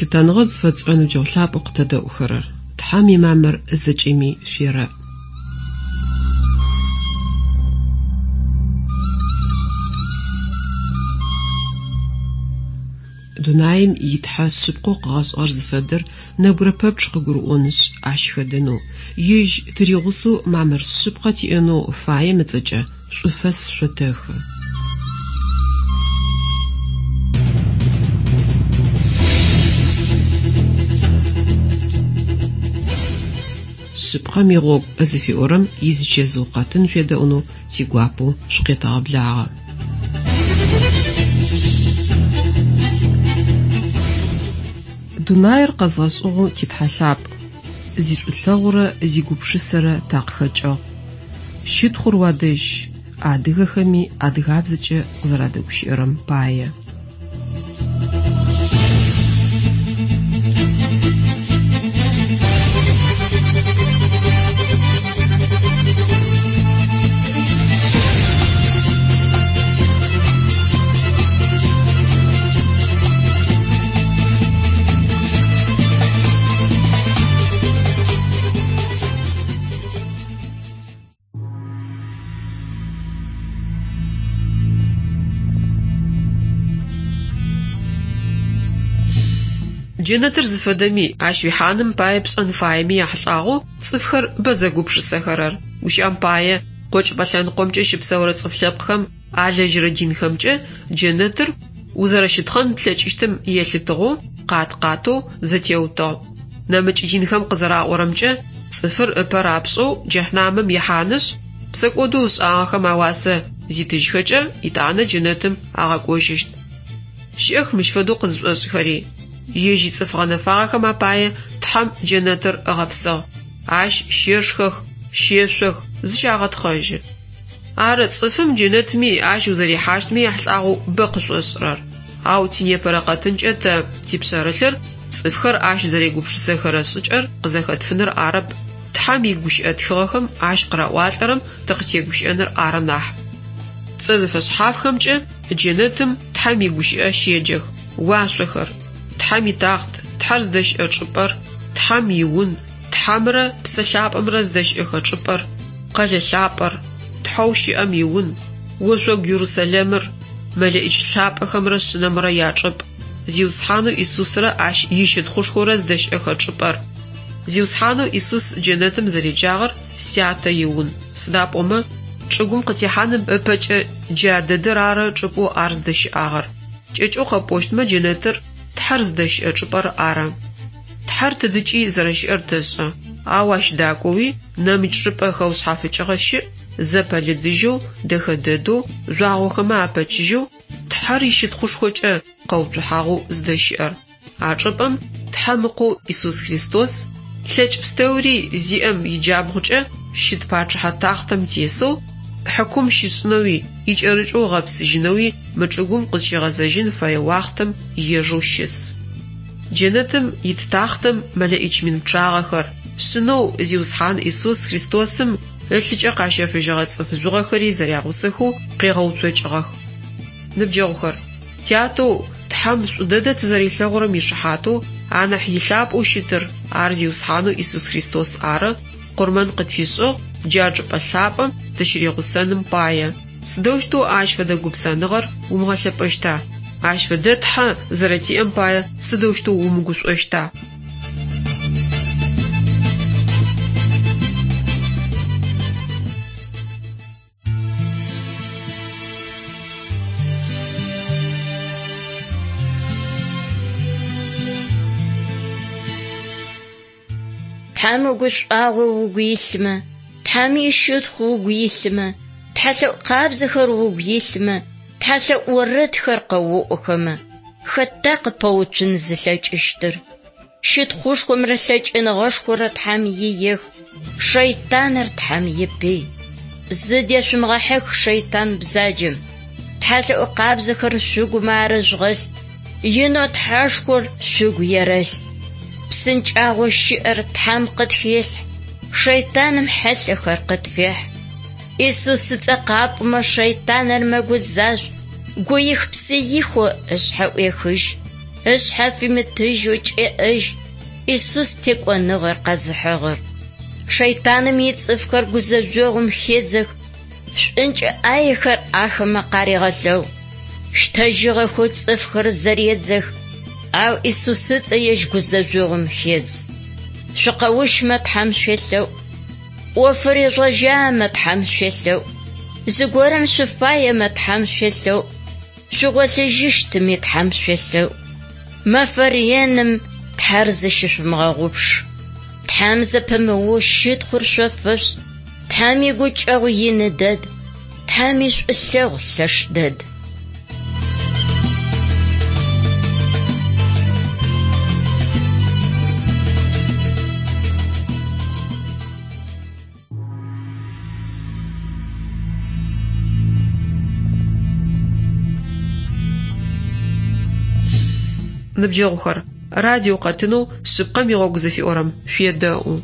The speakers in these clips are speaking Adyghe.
Лъытэныгъэ зыфэтшӏырэ ныбджэгъу лъапӏэу къытэдэӏухэрэр! Тхьэм имамыр зэкӏэми шъуерэӏ. Дунаим и Тхьэ шъыпкъэу къыгъэшӏыгъэр зыфэдэр нэбгырэ пэпчъ къыгурыӏонышъ, ащ хэдэнэу, Ежь тыригъусэу мамыр шъыпкъэ тиӏэнэу фаем ыцӏэкӏэ шӏуфэс шъотэхы. Шъыпкъэм игъогу зыфиӏорэм изычэзыу къэтын шъуедэӏунэу тигуапэу шъукъетэгъэблагъэ. Дунаир къэзгъэшӏыгъэу ти Тхьэ лъапӏ, зишӏулъэгъурэ зигупшысэрэ такъыхэкӏыгъ. Щытхъур уадэжь, адыгэхэми адыгабзэкӏэ къызэрадэгущыӏэрэм пае. Джэнэтыр зыфэдэми, ащ уихьаным пае пшӏэн фаеми яхьылӏагъэу цӏыфхэр бэ зэгупшысэхэрэр. Гущыӏэм пае, къокӏыпӏэ лъэныкъомкӏэ щыпсэурэ цӏыф лъэпкъхэм алэжьырэ динхэмкӏэ джэнэтыр узэрэщытхъэн плъэкӏыщтым елъытыгъэу къат-къатэу зэтеутыгъ. Нэмыкӏ динхэм къызэраӏорэмкӏэ, цӏыфыр ыпэ рапшӏэу джэхьнамым ихьанышъ, псэкӏодэу ышӏагъэхэм ауасэ зитыжьхэкӏэ, итӏанэ джэнэтым агъэкӏожьыщт. Щыӏэх мыщ фэдэу къызышӏошӏхэри. Ежь ицӏыф гъэнэфагъэхэм апае Тхьэм джэнэтыр ыгъэпсыгъ. Ащ щешхэх, щешъох, зыщагъэтхъэжьы. Ары, цӏыфым джэнэтми, ащ узэрихьащтми яхьылӏагъэу бэ къышӏошӏырэр. Ау тинепэрэ къэтынкӏэ тэ типшъэрылъыр цӏыфхэр ащ зэрегупшысэхэрэ шӏыкӏэр къызэхэтфыныр арэп, Тхьэм игущыӏэ тхыгъэхэм ащ къыраӏуалӏэрэм тыкъытегущыӏэныр ары нахь. Цӏэ зэфэшъхьафхэмкӏэ джэнэтым Тхьэм игущыӏэ щеджэх, уашъохэр, Тхьэм итахът, Тхьэр зыдэщыӏэ чӏыпӏэр, Тхьэм иун, Тхьэмрэ Псэ Лъапӏэмрэ зыдэщыӏэхэ чӏыпӏэр, къэлэ лъапӏэр, Тхьэу щыӏэм иун, ошъогу Ерусалимыр, мэлэӏич лъапӏэхэмрэ Шъынэмрэ ячӏыпӏ, Зиусхьанэу Исусрэ ащ ищытхъушхорэ зыдэщыӏэхэ чӏыпӏэр. Зиусхьанэу Исус джэнэтым зэреджагъэр Сятэ иун, сыда пӏомэ, чӏыгум къытехьаным ыпэкӏэ джа дэдэр ары чӏыпӏэу ар зыдэщыӏагъэр. Кӏэкӏэу къэпӏощтмэ, джэнэтыр Тхьэр зыдэщыӏэ чӏыпӏэр ары. Тхьэр тыдыкӏи зэрэщыӏэр тэшӏэ, ау ащ дакӏоуи нэмыкӏ чӏыпӏэ хэушъхьафыкӏыгъэ щыӏ, зэпэлыдыжьэу, дэхэ дэдэу, жъуагъохэмэ апэчыжьэу, Тхьэр ищытхъушхокӏэ къэуцухьагъэу зыдэщыӏэр. А чӏыпӏэм Тхьэм Ыкъоу Исус Христос, лъэкӏ пстэури зиӏэм иджабгъукӏэ щыт пачъыхьэ тахътэм тесэу, хьыкум щишӏынэуи, икӏэрыкӏэу ыгъэпсыжьынэуи мы чӏыгум къызщигъэзэжьын фэе уахътэм ежэу щыс. Джэнэтым ит тахътэм мэлэӏич мин пчъагъэхэр, Шъынэу Зиусхьан Исус Христосым ылъыкӏэ къащэфыжьыгъэ цӏыф жъугъэхэри зэрягъусэхэу къегъэуцокӏыгъэх. Ныбджэгъухэр, тятэу Тхьэм шӏу дэдэ тызэрилъэгъурэм ишыхьатэу анахь илъапӏэу щытыр, ар Зиусхьанэу Исус Христос ары, къурмэн къытфишӏыгъ джа чӏыпӏэ лъапӏэм тыщыригъусэным пае. Сыдэущтэу ащ фэдэ гупсэныгъэр умыгъэлъэпӏэщта? Ащ фэдэ Тхьэ зэрэтиӏэм пае сыдэущтэу умыгушӏощта? Тхьэм игушӏуагъо угу илъмэ, Тхьэм ищытхъу угу илъмэ, тхьэлъэӏу къабзэхэр угу илъмэ, тхьэлъэӏу орэдхэр къэоӏохэмэ, хэта къыпэуцун зылъэкӏыщтыр? Щытхъушхомрэ лъэкӏыныгъэшхорэ Тхьэм иех, шэйтаныр Тхьэм ипый. Зыдешъумыгъэхьых шэйтан бзаджэм. Тхьэлъэӏу къабзэхэр шъугумэ арыжъугъэлъ, инэу Тхьэшхор шъугу ерэлъ. Псынкӏагъо щыӏэр Тхьэм къытхелъхь, шэйтаным хьылъэхэр къытфехь. Исус ыцӏэ къапӏомэ шэйтаныр мэгузажъу, гуих-псыихэу ышъхьэ ӏуехыжь. Ышъхьэ фимытыжьэу кӏеӏэжь Исус текӏоныгъэр къэзыхьыгъэр. Шэйтаным ицӏыфхэр гузэжъогъум хедзэх, шӏункӏэ ӏаехэр ахэмэ къарегъэлъэгъу. Щтэжьыгъэхэу цӏыфхэр зэредзэх, ау Исус ыцӏэ ежь гузэжъогъум хедз. Шъукъэущмэ Тхьэм шъуелъэӏу. ӏофыр ежъугъэжьамэ Тхьэм шъуелъэӏу. Зыгорэм шъуфаемэ Тхьэм шъуелъэӏу. Шъугъолъыжьыщтми Тхьэм шъуелъэӏу. Мэфэ реным Тхьэр зыщышъумыгъэгъупш. Тхьэм зэпымыоу щытхъур шъо фэшъушӏ. Тхьэм игукӏэгъу ины дэд. Тхьэм ишӏулъэгъу лъэш дэд. Ныбджэгъухэр, радио къэтынэу Шъыпкъэм игъогу зыфиӏорэм шъуедэӏу.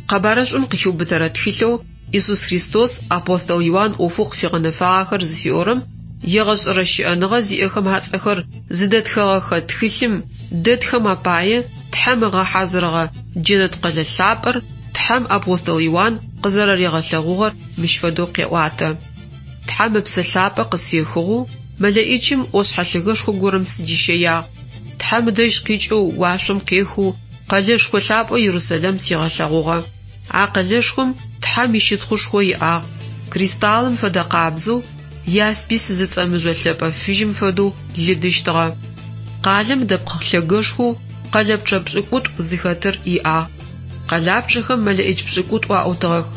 Къэбарышӏум къыхиубытэрэ тхылъэу Исус Христос апостол Иуан ӏофэу къыфигъэнэфагъэхэр зыфиӏорэм егъэшӏэрэ щыӏэныгъэ зиӏэхэм ацӏэхэр зыдэтхэгъэхэ тхылъым дэтхэм апае Тхьэм ыгъэхьазырыгъэ джэнэт къэлэ лъапӏэр Тхьэм апостол Иуан къызэрэригъэлъэгъугъэр мыщ фэдэу къеӏуатэ. Тхьэм Ыпсэ Лъапӏэ къысфехыгъэу мэлэӏичым ӏошъхьэ лъэгэшхо горэм сыдищэягъ. Тхьэм ыдэжь къикӏэу уашъом къехэу къэлэшхо лъапӏэу Ерусэлэм сигъэлъэгъугъэ. А къэлэшхом Тхьэм ищытхъушхо иӏагъ, кристаллым фэдэ къабзэу, яспис зыцӏэ мыжъо лъэпӏэ фыжьым фэдэу лыдыщтыгъэ. Къалэм дэпкъ лъэгэшхоу къэлэпчъэ пшӏыкӏутӏу зыхэтыр иӏагъ. Къэлапчъэхэм мэлэӏич пшӏыкӏутӏу аӏутыгъэх.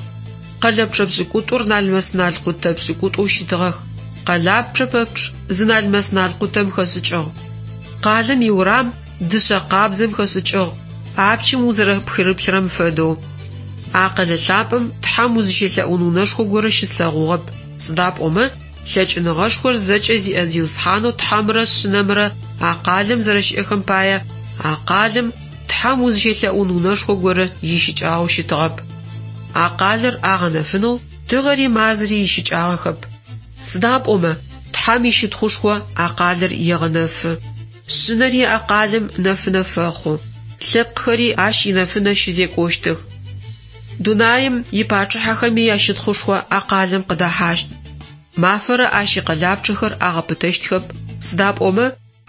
Къэлэпчъэ пшӏыкӏутӏур налмэс-налкъутэ пшӏыкӏутӏоу щытыгъэх. Къэлапчъэ пэпчъ зы налмэс-налкъутэм хэшӏыкӏыгъ. Къалэм иурам дышъэ къабзэм хэшӏыкӏыгъ, апчым узэрэпхырыплъырэм фэдэу. А къэлэ лъапӏэм Тхьэм узыщелъэӏун унэшхо горэ щыслъэгъугъэп, сыда пӏомэ лъэкӏыныгъэшхор зэкӏэ зиӏэ Зиусхьанэу Тхьэмрэ Шъынэмрэ а къалэм зэрэщыӏэхэм пае а къалэм Тхьэм узыщелъэӏун унэшхо горэ ищыкӏагъэу щытыгъэп. А къалэр агъэнэфынэу тыгъэри мазэри ищыкӏагъэхэп. Сыда пӏомэ Тхьэм ищытхъушхо а къалэр егъэнэфы. Шъынэри а къалэм нэфынэ фэхъу, лъэпкъхэри ащ инэфынэ щызекӏощтых. Дунаим ипачъыхьэхэми ящытхъушхо а къалэм къыдэхьащт. Мафэрэ ащ икъэлапчъэхэр агъэпытэщтхэп, сыда пӏомэ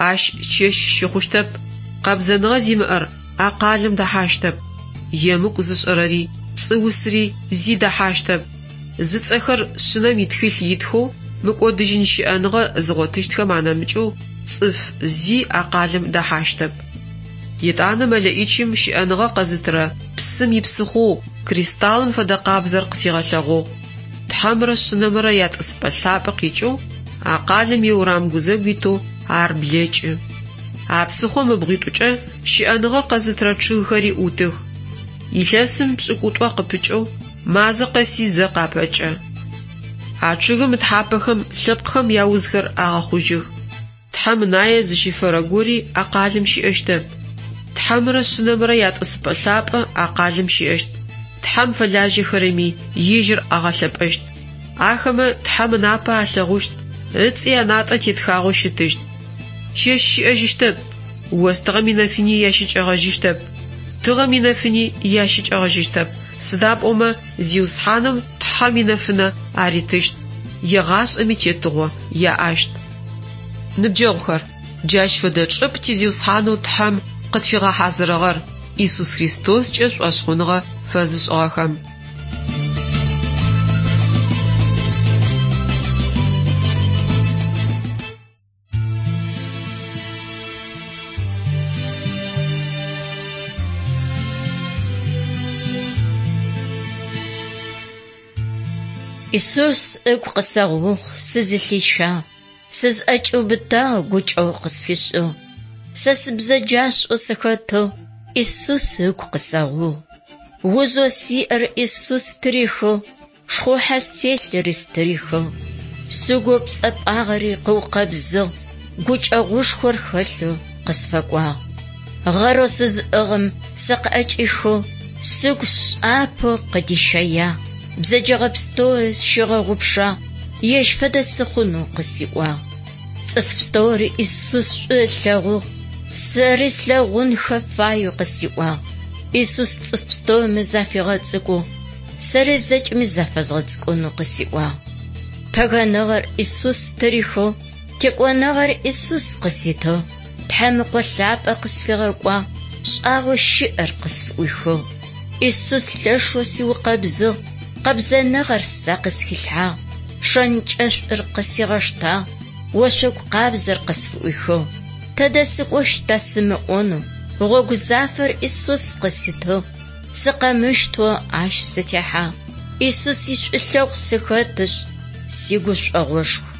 ащ чэщ щыхъущтэп. Къэбзэныгъэ зимыӏэр а къалэм дэхьащтэп. Емыкӏу зышӏэрэри, пцӏыусри зи дэхьащтэп. Зыцӏэхэр Шъынэм итхылъ итхэу мыкӏодыжьын щыӏэныгъэ зыгъотыщтхэм анэмыкӏэу цӏыф зи а къалэм дэхьащтэп. Етӏанэ мэлэӏичым щыӏэныгъэ къэзытырэ псым ипсыхъоу кристаллым фэдэ къабзэр къысигъэлъэгъугъ. Тхьэмрэ Шъынэмрэ ятӏысыпӏэ лъапӏэ къикӏэу а къалэм иурам гузэгу итэу ар блэкӏы. А псыхъом ыбгъуитӏукӏэ щыӏэныгъэ къэзытырэ чъыгхэри ӏутых. Илъэсым пшӏыкӏутӏо къыпыкӏэу мазэ къэси зэ къапэкӏэ. А чъыгым ытхьапэхэм лъэпкъхэм яузхэр агъэхъужьых. Тхьэм ынае зыщифэрэ гори а къалэм щыӏэщтэп. Тхьэмрэ Шъынэмрэ ятӏысыпӏэ лъапӏэ а къалэм щыӏэщт. Тхьэм фэлажьэхэрэми ежьыр агъэлъэпӏэщт. Ахэмэ Тхьэм ынапэ алъэгъущт, ыцӏи анатӏэ тетхагъэу щытыщт. Чэщ щыӏэжьыщтэп, остыгъэм инэфыни ящыкӏэгъэжьыщтэп, тыгъэм инэфыни ящыкӏэгъэжьыщтэп, сыда пӏомэ Зиусхьаным Тхьэм инэфынэ аритыщт, егъашӏэми тетыгъо яӏэщт. Ныбджэгъухэр, джащ фэдэ чӏыпӏ ти Зиусхьанэу Тхьэм къытфигъэхьазырыгъэр Исус Христоскӏэ шӏошъхъуныгъэ фэзышӏыгъэхэм. Исус ыгу къысэгъугъ, сызылъищагъ, сызӏэкӏиубытагъ, гукӏэгъу къысфишӏыгъ. Сэ сыбзэджашӏэу сыхэтыгъ, Исус ыгу къысэгъугъ. Узэу сиӏэр Исус стырихыгъ, шхъухьэ стелъыри стырихыгъ. Сыгоу пцӏэпӏагъэри къыукъэбзыгъ, гукӏэгъушхор хэлъэу къысфэкӏуагъ. Гъэрэу сызыӏыгъым сэ къыӏэкӏихыгъ, сыгу сшӏапэу къыдищэягъ, бзэджэгъэ пстэури сщигъэгъупшагъ, ежь фэдэ сыхъунэу къысиӏуагъ. Цӏыф пстэури Исус шӏу ылъэгъугъ, сэри слъэгъунхэ фаеу къысиӏуагъ. Исус цӏыф пстэуми зафигъэцӏыкӏугъ, сэри зэкӏэми зафэзгъэцӏыкӏунэу къысиӏуагъ. Пэгэныгъэр Исус стырихыгъ, текӏоныгъэр Исус къыситыгъ, Тхьэм Ыкъо лъапӏэ къысфигъэкӏуагъ, шӏагъэу щыӏэр къысфыӏуихыгъ. Исус лъэшэу сиукъэбзыгъ, къэбзэныгъэр сэ къысхилъхьагъ, шэнкӏэшӏур къысигъэштагъ, ошъогу къабзэр къысфыӏуихыгъ. Тэдэ сыкӏощта сымыӏонэу, гъогу зафэр Исус къыситыгъ, сыкъэмыщтэу ащ сытехьагъ. Исус ишӏулъэгъу сыхэтышъ, сигушӏогъошху.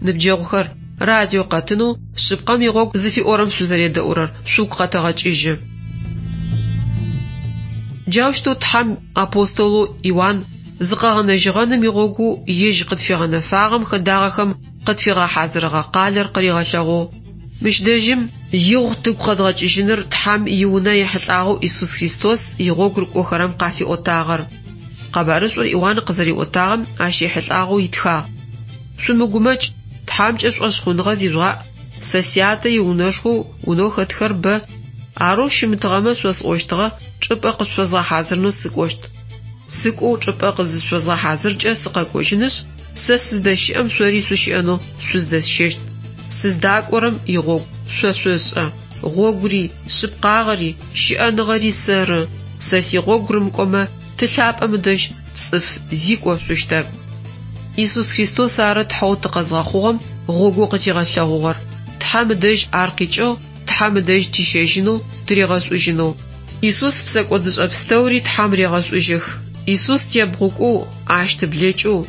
Ныбджэгъухэр, радио къэтынэу Шъыпкъэм игъогу зыфиӏорэм шъузэредэӏурэр шъугу къэтэгъэкӏыжьы. Джаущтэу Тхьэм апостолэу Иуан зыкъэгъэнэжьыгъэным игъогоу ежь къытфигъэнэфагъэм хэдагъэхэм къытфигъэхьазырыгъэ къалэр къыригъэлъэгъугъ. Мыщ дэжьым игъу тыгу къэдгъэкӏыжьыныр Тхьэм иунэ ехьылӏагъэу Исус Христос игъогу рыкӏохэрэм къафиӏотагъэр. Къэбарышӏур Иуан къызэриӏотагъэм ащ ехьылӏагъэу итхагъ. Шъумыгумэкӏ, Тхьэмкӏэ шӏошъхъуныгъэ зижъугъаӏ, сэ Сятэ иунэшхоу унэу хэтхэр бэ, арэу щымытыгъэмэ шъосӏощтыгъэ, чӏыпӏэ къышъуфэзгъэхьазырынэу сыкӏощт. Сыкӏоу чӏыпӏэ къызышъуфэзгъэхьазыркӏэ сыкъэкӏожьынышъ, сэ сыздэщыӏэм шъори шъущыӏэнэу шъуздэсщэщт. Сыздакӏорэм игъогу шъо шъошӏэ. Гъогури, шъыпкъагъэри, щыӏэныгъэри сэры. Сэ сигъогу рымыкӏомэ, Ты лъапӏэм ыдэжь цӏыф зи кӏошъущтэп. Исус Христос ары Тхьэу тыкъэзгъэхъугъэм гъогоу къытигъэлъэгъугъэр. Тхьэм ыдэжь ар къикӏыгъ, Тхьэм ыдэжь тищэжьынэу, тыригъэшӏужьынэу. Исус псэкӏодышӏэ пстэури Тхьэм регъэшӏужьых. Исус тебгъукӏоу, ащ тыблэкӏэу,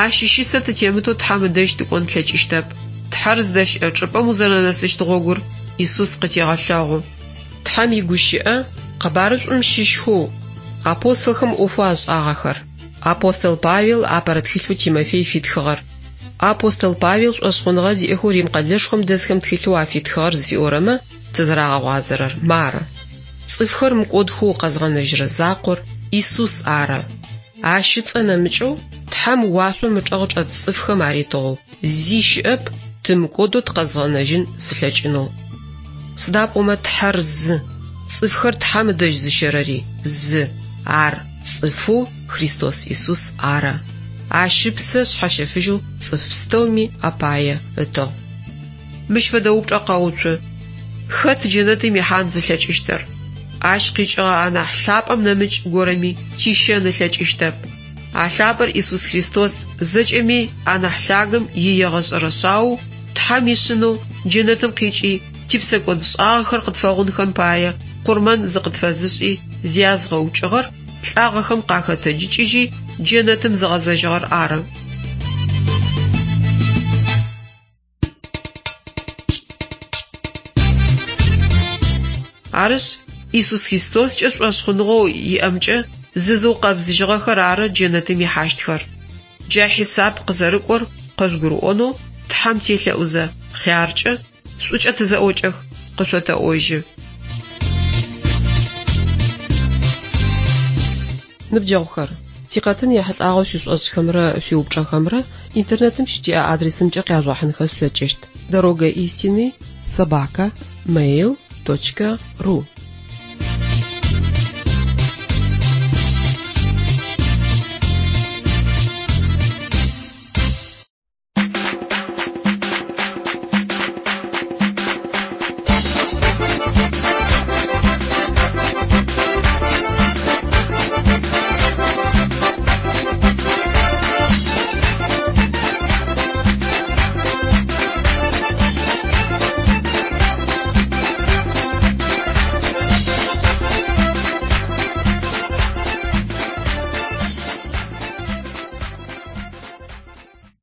ащ ищысэ тытемытэу Тхьэм ыдэжь тыкӏон тлъэкӏыщтэп. Тхьэр зыдэщыӏэ чӏыпӏэм узэрэнэсыщт гъогур Исус къытегъэлъэгъу. Тхьэм игущыӏэ Къэбарышӏум щыщхэу апостолхэм ӏофэу ашӏагъэхэр. Апостол Павел апэрэ тхылъэу Тимофей фитхыгъэр. Апостол Павел шӏошъхъуныгъэ зиӏэхэу Рим къэлэшхом дэсхэм тхылъэу афитхыгъэр зыфиӏорэмэ тызэрагъэгъуазэрэр мары. Цӏыфхэр мыкӏодхэу къэзгъэнэжьырэ закъор Исус ары. Ащ ыцӏэ нэмыкӏэу Тхьэм уашъом ычӏэгъ чӏэт цӏыфхэм аритыгъэу зи щыӏэп тымыкӏодэу тыкъэзгъэнэжьын зылъэкӏынэу. Сыда пӏомэ Тхьэр зы, цӏыфхэр Тхьэм ыдэжь зыщэрэри зы, ар цӏыфэу Христос Исус ары. Ащ ыпсэ шъхьэщэфыжьэу цӏыф пстэуми апае ытыгъ. Мыщ фэдэ упчӏэ къэуцу, Хэт джэнэтым ихьан зылъэкӏыщтыр? Ащ къикӏыгъэ анахь лъапӏэм нэмыкӏ горэми тищэн ылъэкӏыщтэп. А лъапӏэр Исус Христос, зэкӏэми анахь лъагэм иегъэшӏэрэ шъаоу, Тхьэм ишъынэу джэнэтым къикӏи, типсэкӏодшӏагъэхэр къытфэгъунхэм пае къурмэн зыкъытфэзышӏи зязгъэукӏыгъэр, лӏагъэхэм къахэтэджыкӏыжьи, джэнэтым зыгъэзэжьыгъэр ары. Арышъ, Исус Христоскӏэ шӏошъхъуныгъэу иӏэмкӏэ зызыукъэбзыжьыгъэхэр ары джэнэтым ихьащтхэр. Джа хьисап къызэрыкӏор къыжъугурыӏонэу Тхьэм телъэӏузэ, хъяркӏэ, шӏукӏэ тызэӏокӏэх, къышъотэӏожьы. Ныбджэгъухэр, тикъэтын ехьылӏагъэу шъуишӏошӏхэмрэ шъуиупчӏэхэмрэ интернетым щытиӏэ адресымкӏэ къяжъугъэхьынхэ шъулъэкӏыщт: Дорога истины собака mail точка ру.